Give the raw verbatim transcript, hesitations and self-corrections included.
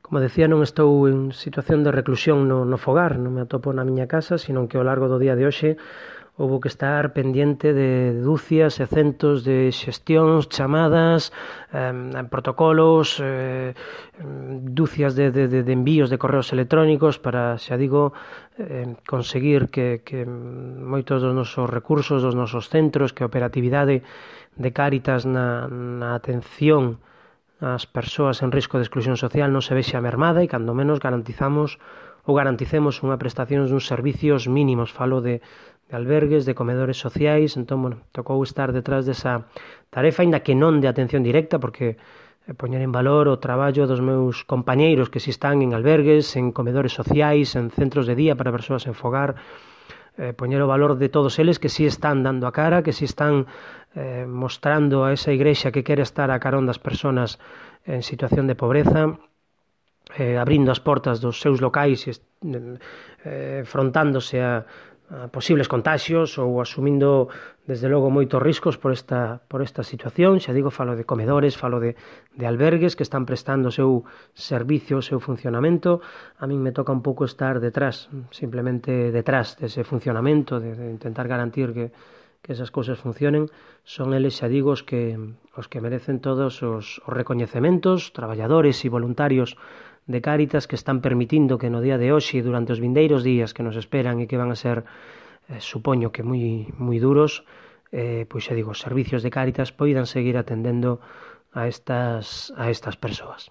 Como decía, non estou en situación de reclusión no, no fogar, non me atopo na miña casa, sino que ao largo do día de hoxe houbo que estar pendiente de dúcias e centos de xestións, chamadas, eh, protocolos, eh, dúcias de, de, de envíos de correos electrónicos para, xa digo, eh, conseguir que, que moitos dos nosos recursos, dos nosos centros, que a operatividade de Cáritas na, na atención as persoas en risco de exclusión social non se vexe mermada e cando menos garantizamos ou garanticemos unha prestación duns servicios mínimos. Falo de, de albergues, de comedores sociais, entón, bueno, tocou estar detrás desa tarefa, ainda que non de atención directa, porque eh, poñer en valor o traballo dos meus compañeiros que si están en albergues, en comedores sociais, en centros de día para persoas en fogar, eh, poñer o valor de todos eles que si están dando a cara, que si están eh, mostrando a esa igrexa que quere estar a carón das persoas en situación de pobreza, eh, abrindo as portas dos seus locais e eh, frontándose a, a posibles contaxios ou asumindo desde logo moitos riscos por esta, por esta situación. Xa digo, falo de comedores, falo de, de albergues que están prestando o seu servicio, o seu funcionamento. A min me toca un pouco estar detrás, simplemente detrás dese funcionamento, de, de intentar garantir que que esas cousas funcionen. Son eles, xa digo, os que, os que merecen todos os, os recoñecementos, traballadores e voluntarios de Cáritas que están permitindo que no día de hoxe e durante os vindeiros días que nos esperan e que van a ser, eh, supoño que moi, moi duros, eh, pois xa digo, os servicios de Cáritas poidan seguir atendendo a estas, a estas persoas.